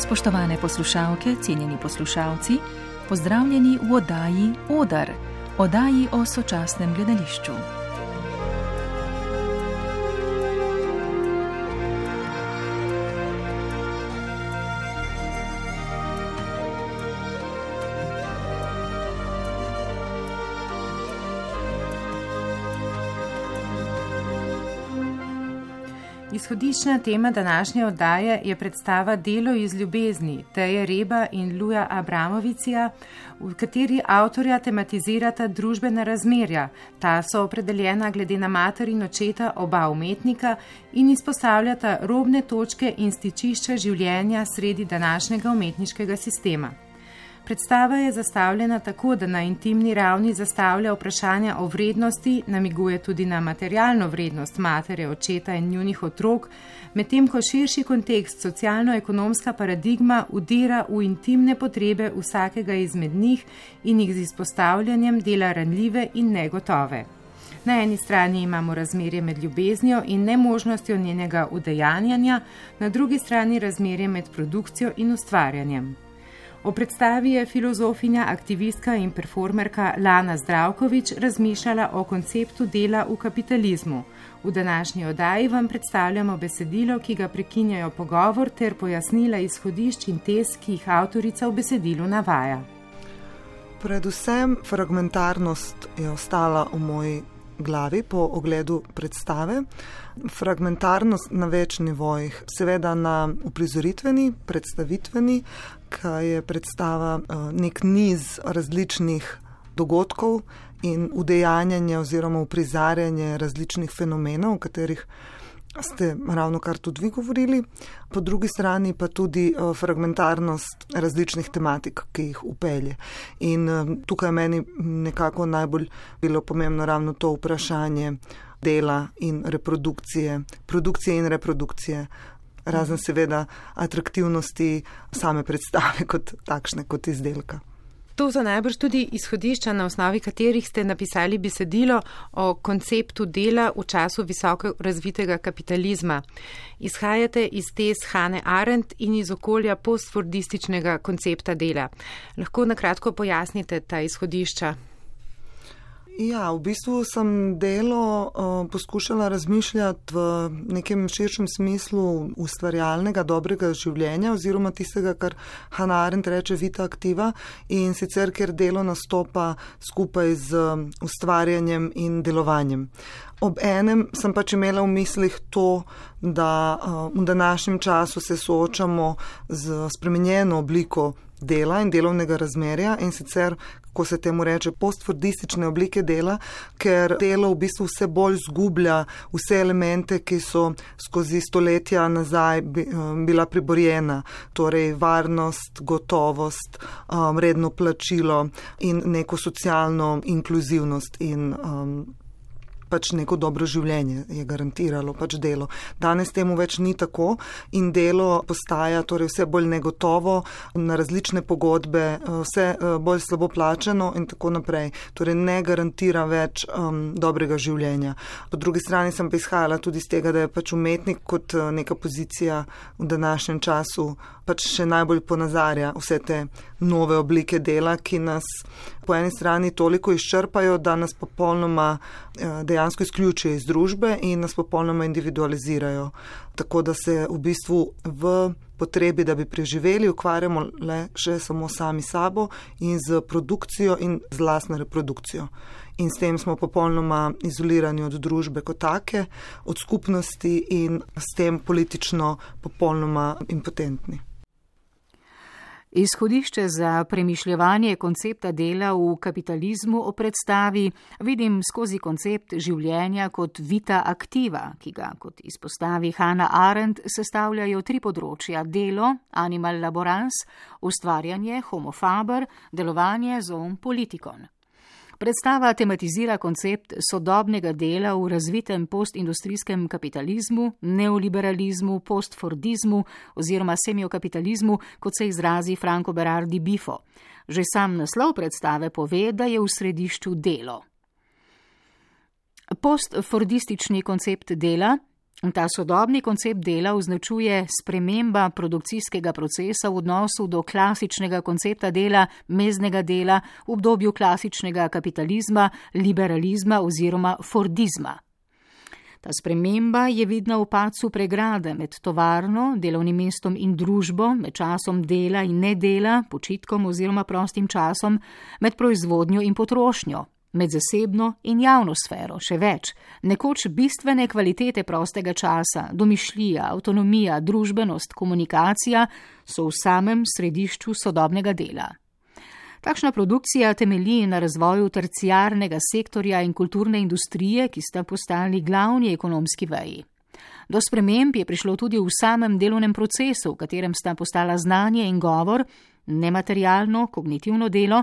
Spoštovane poslušalke, cenjeni poslušalci, pozdravljeni v oddaji Odar, oddaji o sočasnem gledališču. Izhodiščna tema današnje oddaje je predstava Delo iz ljubezni Teje Reba in Luja Abramovicija, v kateri avtorja tematizirata družbena razmerja. Ta so opredeljena glede na mater in očeta oba umetnika in izpostavljata robne točke in stičišča življenja sredi današnjega umetniškega sistema. Predstava je zastavljena tako, da na intimni ravni zastavlja vprašanja o vrednosti, namiguje tudi na materialno vrednost matere, očeta in njunih otrok, medtem ko širši kontekst, socialno-ekonomska paradigma udira v intimne potrebe vsakega izmed njih in jih z izpostavljanjem dela ranljive in negotove. Na eni strani imamo razmerje med ljubeznijo in nemožnostjo njenega udejanjanja, na drugi strani razmerje med produkcijo in ustvarjanjem. O predstavi je filozofinja, aktivistka in performerka Lana Zdravković razmišljala o konceptu dela v kapitalizmu. V današnji oddaji vam predstavljamo besedilo, ki ga prekinjajo pogovor, ter pojasnila izhodišč in tez, ki jih avtorica v besedilu navaja. Predvsem fragmentarnost je ostala v moji glavi po ogledu predstave. Fragmentarnost na več nivojih, seveda na uprizoritveni, predstavitveni, kaj je predstava nek niz različnih dogodkov in udejanjanje oziroma uprizarjanje različnih fenomenov, o katerih ste ravno kar tudi vi govorili. Po drugi strani pa tudi fragmentarnost različnih tematik, ki jih upelje. In tukaj meni nekako najbolj bilo pomembno ravno to vprašanje dela in reprodukcije, produkcije in reprodukcije, razen seveda atraktivnosti same predstave kot takšne, kot izdelka. To so najbrž tudi izhodišča, na osnovi katerih ste napisali besedilo o konceptu dela v času visoko razvitega kapitalizma. Izhajate iz tez Hannah Arendt in iz okolja postfordističnega koncepta dela. Lahko na kratko pojasnite ta izhodišča? Ja, v bistvu sem delo poskušala razmišljati v nekem širšem smislu ustvarjalnega, dobrega življenja oziroma tistega, kar Hannah Arendt reče vita activa, in sicer, ker delo nastopa skupaj z ustvarjanjem in delovanjem. Ob enem sem pač imela v mislih to, da v današnjem času se soočamo z spremenjeno obliko dela in delovnega razmerja, in sicer, ko se temu reče, postfordistične oblike dela, ker delo v bistvu vse bolj zgublja vse elemente, ki so skozi stoletja nazaj bila priborjena, torej varnost, gotovost, redno plačilo in neko socialno inkluzivnost in pač neko dobro življenje je garantiralo pač delo. Danes temu več ni tako in delo postaja torej vse bolj negotovo, na različne pogodbe, vse bolj slabo plačano in tako naprej. Torej ne garantira več dobrega življenja. Po drugi strani sem pa izhajala tudi iz tega, da je pač umetnik kot neka pozicija v današnjem času pač še najbolj ponazarja vse te nove oblike dela, ki nas po eni strani toliko izčrpajo, da nas popolnoma dejansko izključijo iz družbe in nas popolnoma individualizirajo. Tako da se v bistvu v potrebi, da bi preživeli, ukvarjamo le še samo sami sabo in z produkcijo in z lastno reprodukcijo. In s tem smo popolnoma izolirani od družbe kot take, od skupnosti in s tem politično popolnoma impotentni. Izhodišče za premišljevanje koncepta dela v kapitalizmu o predstavi vidim skozi koncept življenja kot vita activa, ki ga, kot izpostavi Hannah Arendt, sestavljajo tri področja: delo, animal laborans, ustvarjanje, homo faber, delovanje, zoon politikon. Predstava tematizira koncept sodobnega dela v razvitem postindustrijskem kapitalizmu, neoliberalizmu, postfordizmu oziroma semiokapitalizmu, kot se izrazi Franco Berardi Bifo. Že sam naslov predstave pove, da je v središču delo. Postfordistični koncept dela Ta sodobni koncept dela označuje sprememba produkcijskega procesa v odnosu do klasičnega koncepta dela, meznega dela v obdobju klasičnega kapitalizma, liberalizma oziroma fordizma. Ta sprememba je vidna v padcu pregrade med tovarno, delovnim mestom in družbo, med časom dela in nedela, počitkom oziroma prostim časom, med proizvodnjo in potrošnjo, med zasebno in javno sfero, še več. Nekoč bistvene kvalitete prostega časa, domišljija, avtonomija, družbenost, komunikacija so v samem središču sodobnega dela. Takšna produkcija temelji na razvoju terciarnega sektorja in kulturne industrije, ki sta postali glavni ekonomski veji. Do sprememb je prišlo tudi v samem delovnem procesu, v katerem sta postala znanje in govor, nematerialno, kognitivno delo,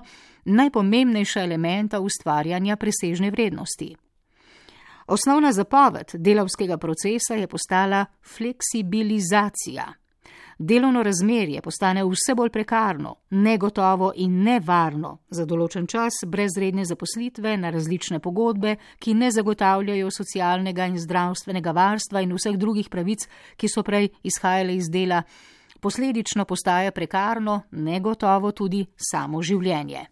najpomembnejša elementa ustvarjanja presežne vrednosti. Osnovna zapoved delavskega procesa je postala fleksibilizacija. Delovno razmerje postane vse bolj prekarno, negotovo in nevarno za določen čas brez redne zaposlitve na različne pogodbe, ki ne zagotavljajo socialnega in zdravstvenega varstva in vseh drugih pravic, ki so prej izhajale iz dela. Posledično postaja prekarno, negotovo tudi samo življenje.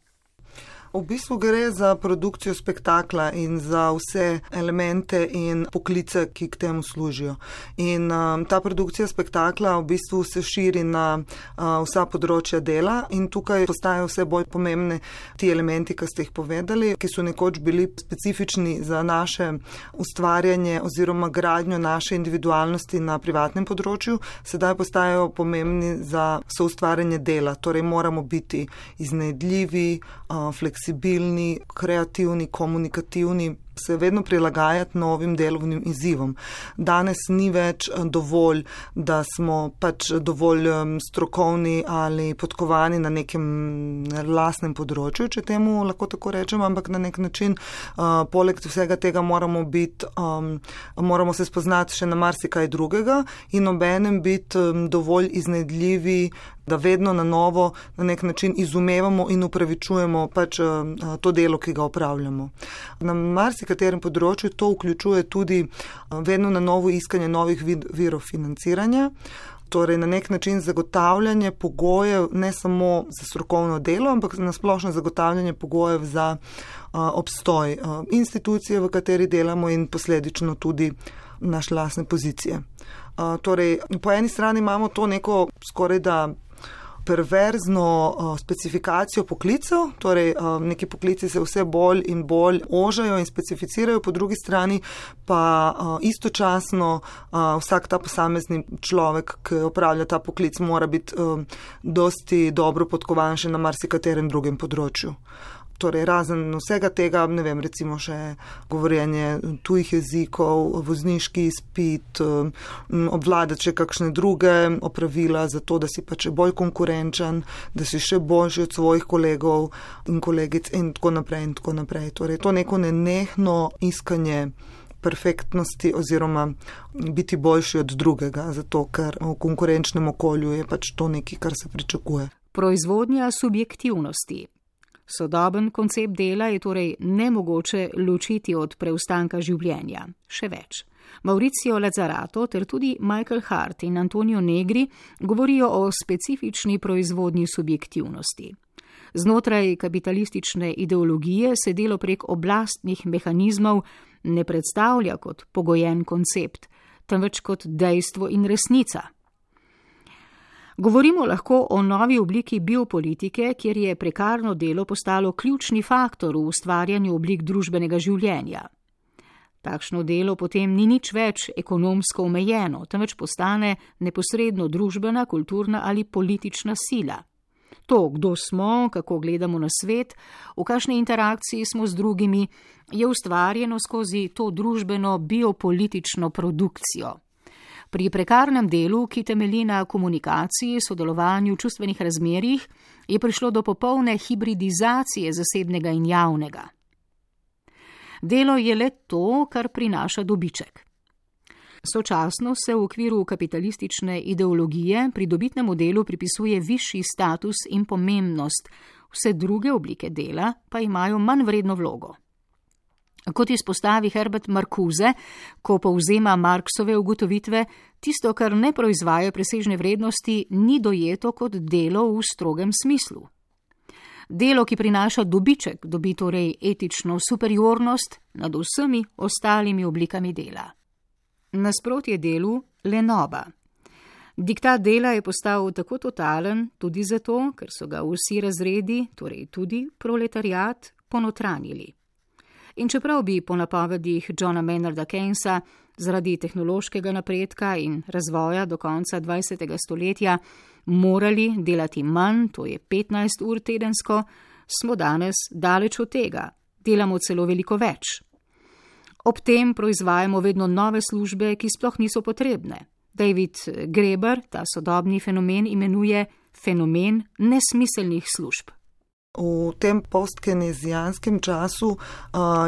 V bistvu gre za produkcijo spektakla in za vse elemente in poklice, ki k temu služijo. In ta produkcija spektakla v bistvu se širi na vsa področja dela in tukaj postajajo vse bolj pomembne ti elementi, ki ste jih povedali, ki so nekoč bili specifični za naše ustvarjanje oziroma gradnjo naše individualnosti na privatnem področju, sedaj postajajo pomembni za soustvarjanje dela. Torej moramo biti iznajdljivi, fleksibilni, kreativni, komunikativni, se vedno prilagajati novim delovnim izzivom. Danes ni več dovolj, da smo pač dovolj strokovni ali podkovani na nekem lastnem področju, če temu lahko tako rečem, ampak na nek način poleg vsega tega moramo se spoznati še na marsikaj drugega in obenem biti dovolj iznajdljivi, da vedno na novo na nek način izumevamo in upravičujemo pač to delo, ki ga opravljamo. Na marsikaterem področju to vključuje tudi vedno na novo iskanje novih virov financiranja, torej na nek način zagotavljanje pogojev ne samo za strokovno delo, ampak na splošno zagotavljanje pogojev za obstoj institucije, v kateri delamo in posledično tudi naše lastne pozicije. Torej, po eni strani imamo to neko skoraj da perverzno specifikacijo poklicev, torej neki poklici se vse bolj in bolj ožajo in specificirajo, po drugi strani pa istočasno vsak ta posamezni človek, ki opravlja ta poklic, mora biti dosti dobro podkovan še na marsikaterem drugem področju. Torej, razen vsega tega, ne vem, recimo še govorjenje tujih jezikov, vozniški izpit, obvladati še kakšne druge opravila za to, da si pač bolj konkurenčen, da si še boljši od svojih kolegov in kolegic in tako naprej in tako naprej. Torej, to neko nenehno iskanje perfektnosti oziroma biti boljši od drugega, zato ker v konkurenčnem okolju je pač to nekaj, kar se pričakuje. Proizvodnja subjektivnosti. Sodoben koncept dela je torej nemogoče ločiti od preostanka življenja. Še več. Mauricio Lazzarato ter tudi Michael Hart in Antonio Negri govorijo o specifični proizvodnji subjektivnosti. Znotraj kapitalistične ideologije se delo prek oblastnih mehanizmov ne predstavlja kot pogojen koncept, temveč kot dejstvo in resnica. Govorimo lahko o novi obliki biopolitike, kjer je prekarno delo postalo ključni faktor v ustvarjanju oblik družbenega življenja. Takšno delo potem ni nič več ekonomsko omejeno, temveč postane neposredno družbena, kulturna ali politična sila. To, kdo smo, kako gledamo na svet, v kakšni interakciji smo z drugimi, je ustvarjeno skozi to družbeno biopolitično produkcijo. Pri prekarnem delu, ki temelji na komunikaciji, sodelovanju, čustvenih razmerjih, je prišlo do popolne hibridizacije zasebnega in javnega. Delo je le to, kar prinaša dobiček. Sočasno se v okviru kapitalistične ideologije pridobitnemu delu pripisuje višji status in pomembnost, vse druge oblike dela pa imajo manj vredno vlogo. Kot izpostavi Herbert Marcuse, ko povzema Marxove ugotovitve, tisto, kar ne proizvaja presežne vrednosti, ni dojeto kot delo v strogem smislu. Delo, ki prinaša dobiček, dobi torej etično superiornost nad vsemi ostalimi oblikami dela. Nasprotje delu lenoba. Diktat dela je postal tako totalen tudi zato, ker so ga vsi razredi, torej tudi proletariat, ponotranjili. In čeprav bi po napovedih Johna Maynarda Keynesa zaradi tehnološkega napredka in razvoja do konca 20. stoletja morali delati manj, to je 15 ur tedensko, smo danes daleč od tega, delamo celo veliko več. Ob tem proizvajamo vedno nove službe, ki sploh niso potrebne. David Graeber ta sodobni fenomen imenuje fenomen nesmiselnih služb. V tem postkeynezijanskem času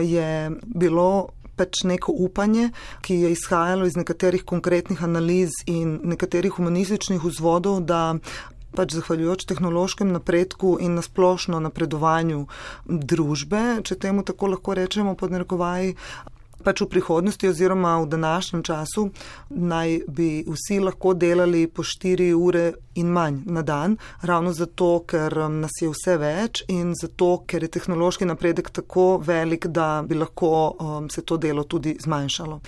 je bilo pač neko upanje, ki je izhajalo iz nekaterih konkretnih analiz in nekaterih humanističnih vzvodov, da pač zahvaljujoč tehnološkem napredku in nasplošno napredovanju družbe, če temu tako lahko rečemo pod narekovaji, pač v prihodnosti oziroma v današnjem času naj bi vsi lahko delali po 4 ure in manj na dan, ravno zato, ker nas je vse več in zato, ker je tehnološki napredek tako velik, da bi lahko se to delo tudi zmanjšalo.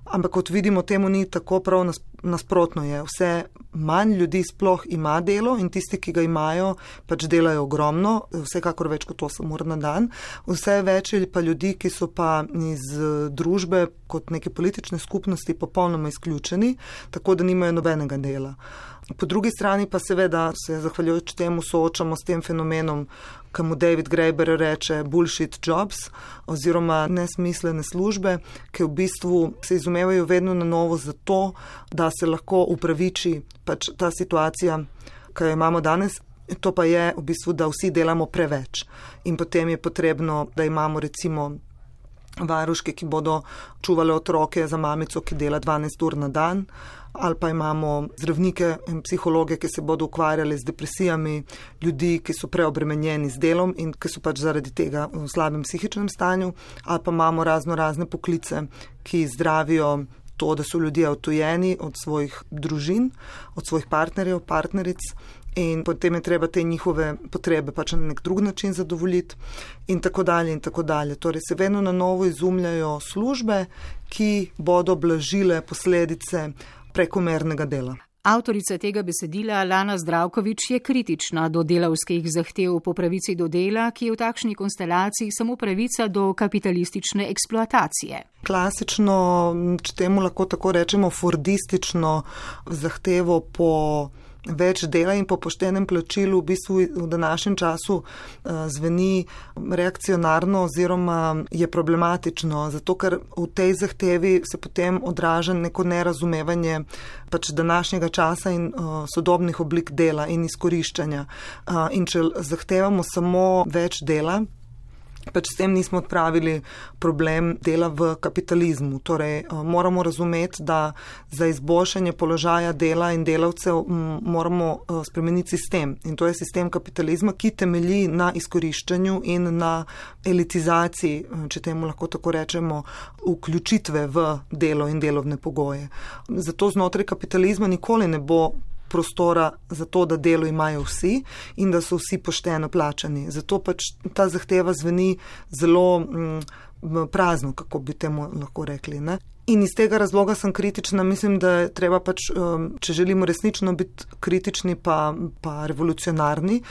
Ampak kot vidimo, temu ni tako, prav nasprotno je. Vse manj ljudi sploh ima delo in tisti, ki ga imajo, pač delajo ogromno, vsekakor več kot 8 ur na dan. Vse več je pa ljudi, ki so pa iz družbe kot neke politične skupnosti popolnoma izključeni, tako da nimajo nobenega dela. Po drugi strani pa seveda se zahvaljujoč temu soočamo s tem fenomenom, ki mu David Graeber reče bullshit jobs oziroma nesmislene službe, ki v bistvu se izumevajo vedno na novo zato, da se lahko upraviči pač ta situacija, ki jo imamo danes. To pa je v bistvu, da vsi delamo preveč in potem je potrebno, da imamo recimo varuške, ki bodo čuvale otroke za mamico, ki dela 12 ur na dan, ali pa imamo zdravnike in psihologe, ki se bodo ukvarjali z depresijami, ljudi, ki so preobremenjeni z delom in ki so pač zaradi tega v slabem psihičnem stanju, ali pa imamo razne poklice, ki zdravijo to, da so ljudje odtujeni od svojih družin, od svojih partnerjev, partneric, in potem je treba te njihove potrebe pač na nek drug način zadovoljiti in tako dalje in tako dalje. Torej se vedno na novo izumljajo službe, ki bodo blažile posledice prekomernega dela. Avtorica tega besedila Lana Zdravković je kritična do delavskih zahtev po pravici do dela, ki je v takšni konstelaciji samo pravica do kapitalistične eksploatacije. Klasično, če temu lahko tako rečemo, fordistično zahtevo po več dela in po poštenem plačilu v bistvu v današnjem času zveni reakcionarno oziroma je problematično, zato ker v tej zahtevi se potem odraža neko nerazumevanje pač današnjega časa in sodobnih oblik dela in izkoriščanja. In če zahtevamo samo več dela, pač s tem nismo odpravili problem dela v kapitalizmu. Torej, moramo razumeti, da za izboljšanje položaja dela in delavcev moramo spremeniti sistem. In to je sistem kapitalizma, ki temelji na izkoriščanju in na elitizaciji, če temu lahko tako rečemo, vključitve v delo in delovne pogoje. Zato znotraj kapitalizma nikoli ne bo prostora za to, da delo imajo vsi in da so vsi pošteno plačani. Zato pač ta zahteva zveni zelo prazno, kako bi temu lahko rekli, ne? In iz tega razloga sem kritična. Mislim, da je treba pač, če želimo resnično biti kritični pa revolucionarni,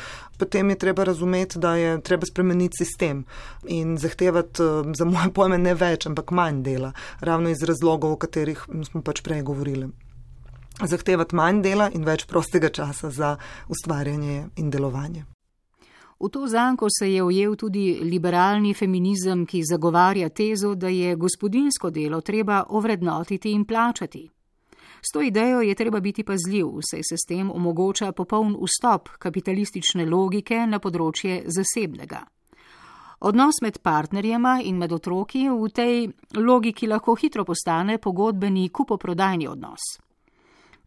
potem je treba razumeti, da je treba spremeniti sistem in zahtevati za moje pojme ne več, ampak manj dela, ravno iz razlogov, o katerih smo pač prej govorili. Zahtevati manj dela in več prostega časa za ustvarjanje in delovanje. V to zanko se je ujel tudi liberalni feminizem, ki zagovarja tezo, da je gospodinjsko delo treba ovrednotiti in plačati. S to idejo je treba biti pazljiv, saj se s tem omogoča popoln vstop kapitalistične logike na področje zasebnega. Odnos med partnerjema in med otroki v tej logiki lahko hitro postane pogodbeni kupoprodajni odnos.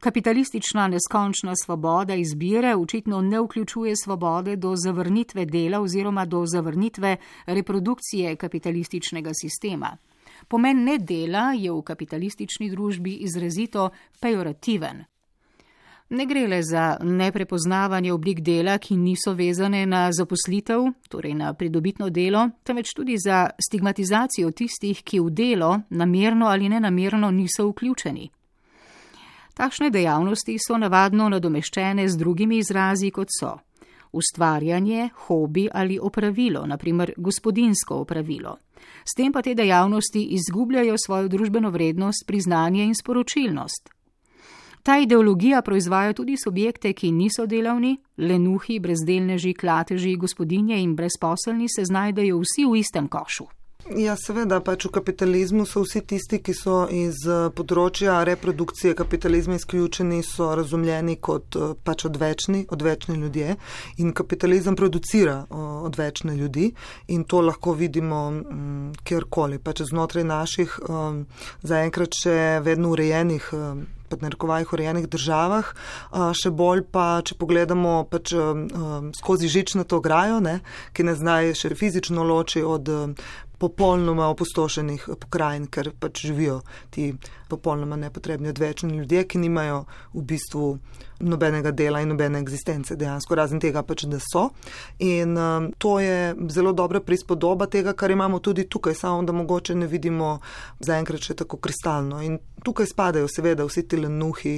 Kapitalistična neskončna svoboda izbire očitno ne vključuje svobode do zavrnitve dela oziroma do zavrnitve reprodukcije kapitalističnega sistema. Pomen nedela je v kapitalistični družbi izrazito pejorativen. Ne gre le za neprepoznavanje oblik dela, ki niso vezane na zaposlitev, torej na pridobitno delo, temveč tudi za stigmatizacijo tistih, ki v delo namerno ali nenamerno niso vključeni. Takšne dejavnosti so navadno nadomeščene z drugimi izrazi, kot so ustvarjanje, hobi ali opravilo, naprimer gospodinjsko opravilo. S tem pa te dejavnosti izgubljajo svojo družbeno vrednost, priznanje in sporočilnost. Ta ideologija proizvaja tudi subjekte, ki niso delavni, lenuhi, brezdelneži, klateži, gospodinje in brezposelni se znajdejo vsi v istem košu. Ja, seveda, pač v kapitalizmu so vsi tisti, ki so iz področja reprodukcije kapitalizma izključeni, so razumljeni kot pač odvečni ljudje in kapitalizem producira odvečne ljudi in to lahko vidimo kjerkoli, pač znotraj naših zaenkrat še vedno urejenih urejenih državah, še bolj pa, če pogledamo pač skozi žičnato ograjo, ki ne znaj še fizično loči od popolnoma opustošenih pokrajin, ker pač živijo ti popolnoma nepotrebni odvečni ljudje, ki nimajo v bistvu nobenega dela in nobene egzistence dejansko, razen tega pač, da so. In to je zelo dobra prispodoba tega, kar imamo tudi tukaj, samo da mogoče ne vidimo zaenkrat še tako kristalno. In tukaj spadajo seveda vsi ti lenuhi,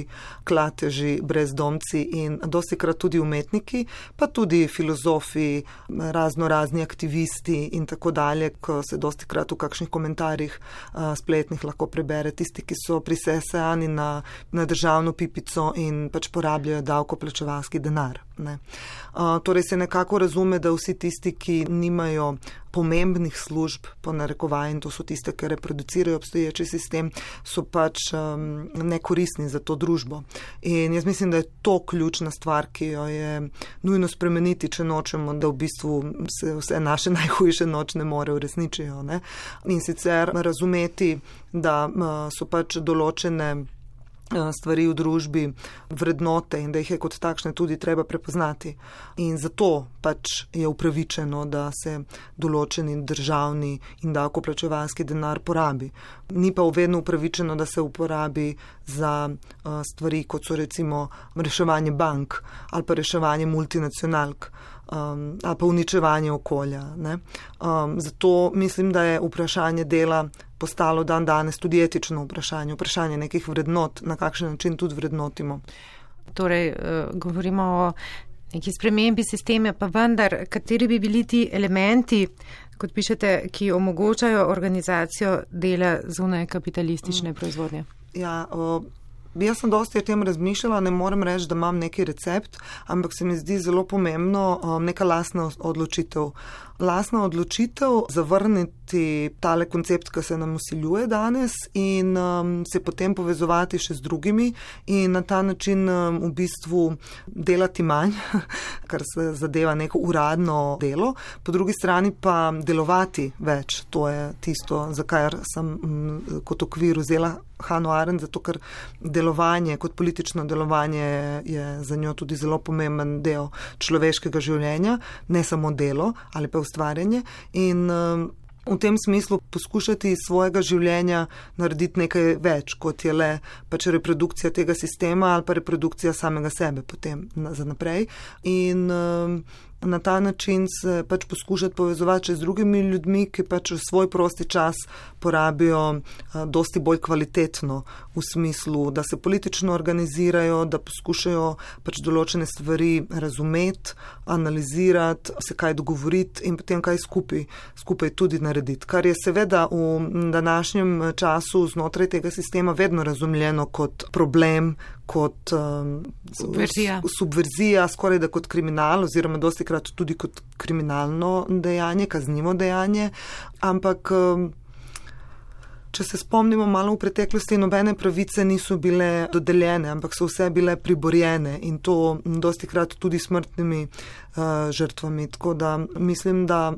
klateži, brezdomci in dostikrat tudi umetniki, pa tudi filozofi, razni aktivisti in tako dalje, ko se dostikrat v kakšnih komentarjih spletnih lahko prebere tisti, ki so prisesani na državno pipico in pač porabljajo davkoplačevalski denar. Torej se nekako razume, da vsi tisti, ki nimajo pomembnih služb, po narekovaji, in to so tiste, ki reproducirajo obstoječi sistem, so pač nekoristni za to družbo. In jaz mislim, da je to ključna stvar, ki jo je nujno spremeniti, če nočemo, da v bistvu se vse naše najhujše nočne more uresničijo. In sicer razumeti, da so pač določene stvari v družbi vrednote in da jih je kot takšne tudi treba prepoznati. In zato pač je upravičeno, da se določeni državni in davkoplačevalski denar porabi. Ni pa vedno upravičeno, da se uporabi za stvari, kot so recimo reševanje bank ali pa reševanje multinacionalk ali pa uničevanje okolja. Zato mislim, da je vprašanje dela postalo dan danes tudi etično vprašanje nekih vrednot, na kakšen način tudi vrednotimo. Torej, govorimo o neki spremembi sistema, pa vendar, kateri bi bili ti elementi, kot pišete, ki omogočajo organizacijo dela zunaj kapitalistične proizvodnje? Ja, jaz sem dosti o tem razmišljala, ne morem reči, da imam neki recept, ampak se mi zdi zelo pomembno neka lastna odločitev. Lastna odločitev zavrniti tale koncept, ki se nam vsiljuje danes in se potem povezovati še z drugimi in na ta način v bistvu delati manj, kar se zadeva neko uradno delo, po drugi strani pa delovati več. To je tisto, za kar sem kot okvir vzela Hannah Arendt, zato ker delovanje, kot politično delovanje je za njo tudi zelo pomemben del človeškega življenja, ne samo delo ali pa ustvarjanje in v tem smislu poskušati svojega življenja narediti nekaj več, kot je le pač reprodukcija tega sistema ali pa reprodukcija samega sebe potem za naprej in na ta način se pač poskušati povezovati z drugimi ljudmi, ki pač svoj prosti čas porabijo dosti bolj kvalitetno v smislu, da se politično organizirajo, da poskušajo pač določene stvari razumeti, analizirati, se kaj dogovoriti in potem kaj skupaj tudi narediti. Kar je seveda v današnjem času znotraj tega sistema vedno razumljeno kot problem, kot subverzija, skoraj da kot kriminal oziroma dostikrat tudi kot kriminalno dejanje, kaznivo dejanje, ampak če se spomnimo malo v preteklosti, nobene pravice niso bile dodeljene, ampak so vse bile priborjene in to dostikrat tudi smrtnimi žrtvami. Tako da mislim, da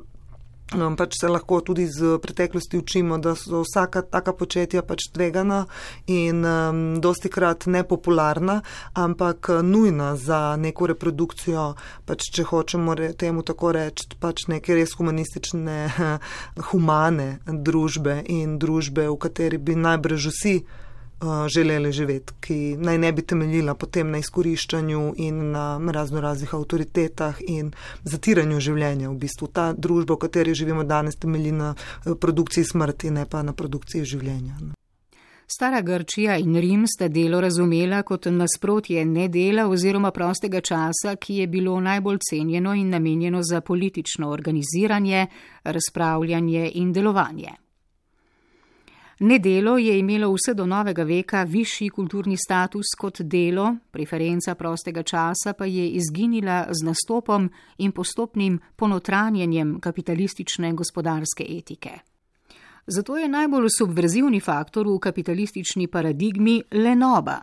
Pač se lahko tudi z preteklosti učimo, da so vsaka taka početja pač tvegana in dostikrat nepopularna, ampak nujna za neko reprodukcijo, pač če hočemo temu tako reči, pač neke res humanistične, humane družbe in družbe, v kateri bi najbrž vsi želeli živeti, ki naj ne bi temeljila potem na izkoriščanju in na raznih avtoritetah in zatiranju življenja. V bistvu ta družba, v kateri živimo danes, temelji na produkciji smrti, ne pa na produkciji življenja. Stara Grčija in Rim sta delo razumela kot nasprotje nedela oziroma prostega časa, ki je bilo najbolj cenjeno in namenjeno za politično organiziranje, razpravljanje in delovanje. Nedelo je imelo vse do novega veka višji kulturni status kot delo, preferenca prostega časa pa je izginila z nastopom in postopnim ponotranjenjem kapitalistične gospodarske etike. Zato je najbolj subverzivni faktor v kapitalistični paradigmi lenoba.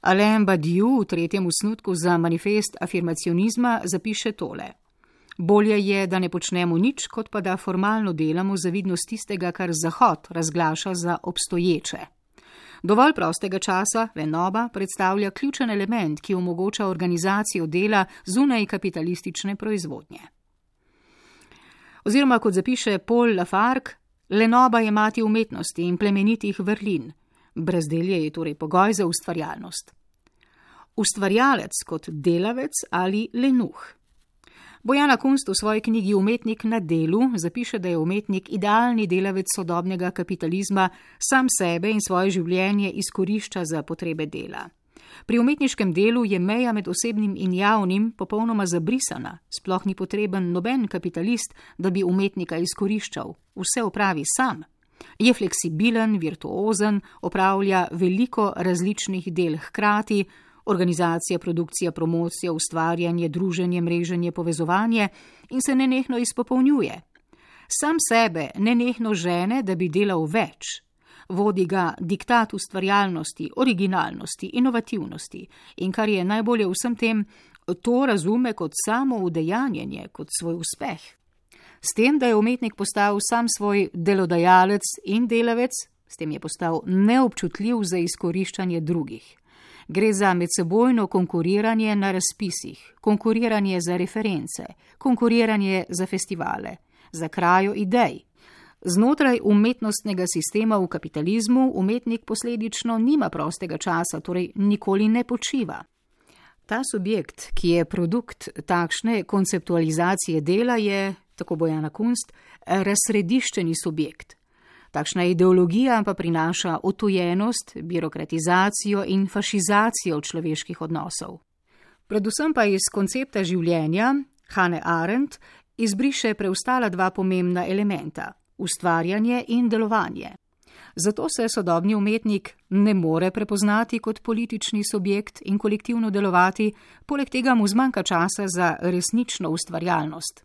Alain Badiou v 3. osnutku za manifest afirmacionizma zapiše tole. Bolje je, da ne počnemo nič, kot pa da formalno delamo zavidnost tistega, kar Zahod razglaša za obstoječe. Dovolj prostega časa, lenoba, predstavlja ključen element, ki omogoča organizacijo dela zunaj kapitalistične proizvodnje. Oziroma, kot zapiše Paul Lafargue, lenoba je mati umetnosti in plemenitih vrlin. Brezdelje je torej pogoj za ustvarjalnost. Ustvarjalec kot delavec ali lenuh. Bojana Kunst v svoji knjigi Umetnik na delu zapiše, da je umetnik idealni delavec sodobnega kapitalizma, sam sebe in svoje življenje izkorišča za potrebe dela. Pri umetniškem delu je meja med osebnim in javnim popolnoma zabrisana, sploh ni potreben noben kapitalist, da bi umetnika izkoriščal, vse opravi sam. Je fleksibilen, virtuozen, opravlja veliko različnih del hkrati, organizacija, produkcija, promocija, ustvarjanje, druženje, mreženje, povezovanje in se nenehno izpopolnjuje. Sam sebe nenehno žene, da bi delal več. Vodi ga diktat ustvarjalnosti, originalnosti, inovativnosti in kar je najbolje v vsem tem, to razume kot samo udejanjenje, kot svoj uspeh. S tem, da je umetnik postal sam svoj delodajalec in delavec, s tem je postal neobčutljiv za izkoriščanje drugih. Gre za medsebojno konkuriranje na razpisih, konkuriranje za reference, konkuriranje za festivale, za krajo idej. Znotraj umetnostnega sistema v kapitalizmu umetnik posledično nima prostega časa, torej nikoli ne počiva. Ta subjekt, ki je produkt takšne konceptualizacije dela, je, tako Bojana Kunst, razsrediščeni subjekt. Takšna ideologija pa prinaša otujenost, birokratizacijo in fašizacijo človeških odnosov. Predvsem pa iz koncepta življenja Hannah Arendt izbriše preostala dva pomembna elementa, ustvarjanje in delovanje. Zato se sodobni umetnik ne more prepoznati kot politični subjekt in kolektivno delovati, poleg tega mu zmanjka časa za resnično ustvarjalnost.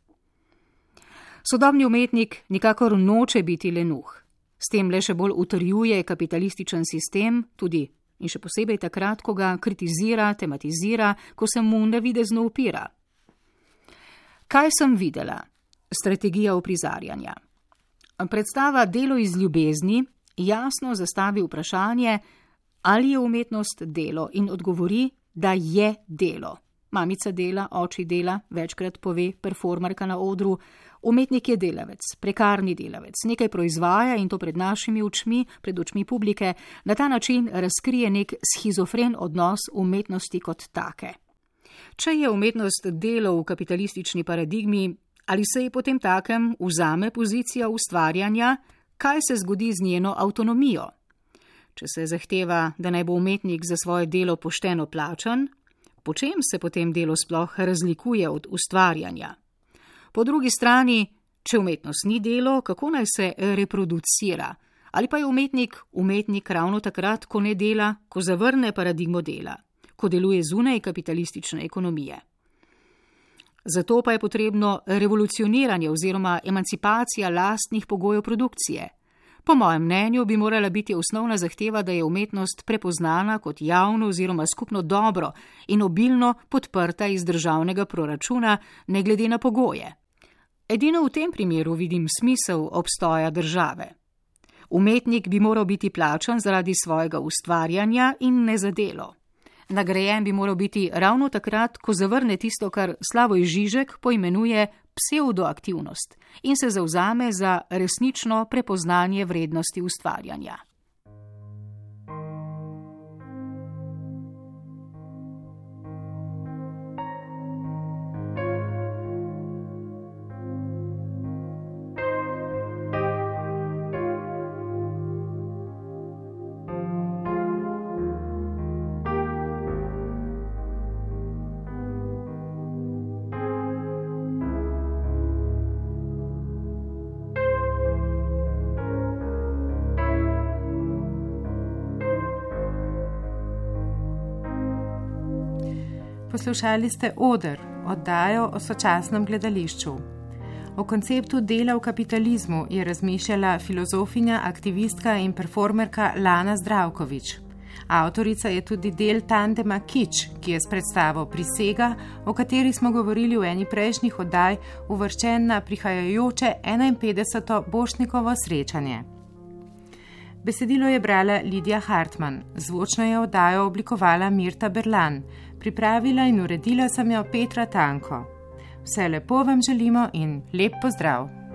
Sodobni umetnik nikakor noče biti lenuh. S tem le še bolj utrjuje kapitalističen sistem, tudi in še posebej takrat, ko ga kritizira, tematizira, ko se mu navidezno upira. Kaj sem videla? Strategija uprizarjanja. Predstava Delo iz ljubezni jasno zastavi vprašanje, ali je umetnost delo in odgovori, da je delo. Mamica dela, oči dela, večkrat pove performerka na odru, umetnik je delavec, prekarni delavec, nekaj proizvaja in to pred našimi očmi, pred očmi publike, na ta način razkrije nek schizofren odnos umetnosti kot take. Če je umetnost delo v kapitalistični paradigmi, ali se ji potem takem vzame pozicija ustvarjanja, kaj se zgodi z njeno avtonomijo? Če se zahteva, da naj bo umetnik za svoje delo pošteno plačan, po čem se potem delo sploh razlikuje od ustvarjanja? Po drugi strani, če umetnost ni delo, kako naj se reproducira? Ali pa je umetnik ravno takrat, ko ne dela, ko zavrne paradigmo dela, ko deluje zunaj kapitalistične ekonomije? Zato pa je potrebno revolucioniranje oziroma emancipacija lastnih pogojev produkcije. Po mojem mnenju bi morala biti osnovna zahteva, da je umetnost prepoznana kot javno oziroma skupno dobro in obilno podprta iz državnega proračuna, ne glede na pogoje. Edino v tem primeru vidim smisel obstoja države. Umetnik bi moral biti plačan zaradi svojega ustvarjanja in ne za delo. Nagrajen bi moral biti ravno takrat, ko zavrne tisto, kar Slavoj Žižek poimenuje pseudoaktivnost in se zavzame za resnično prepoznanje vrednosti ustvarjanja. Poslušali ste Oder, oddajo o sočasnem gledališču. O konceptu dela v kapitalizmu je razmišljala filozofinja, aktivistka in performerka Lana Zdravković. Avtorica je tudi del tandema Kič, ki je s predstavo Prisega, o kateri smo govorili v eni prejšnjih oddaj, uvrščen na prihajajoče 51. Borštnikovo srečanje. Besedilo je brala Lidija Hartmann, zvočno je oddajo oblikovala Mirta Berlan, pripravila in uredila sem jo Petra Tanko. Vse lepo vam želimo in lep pozdrav!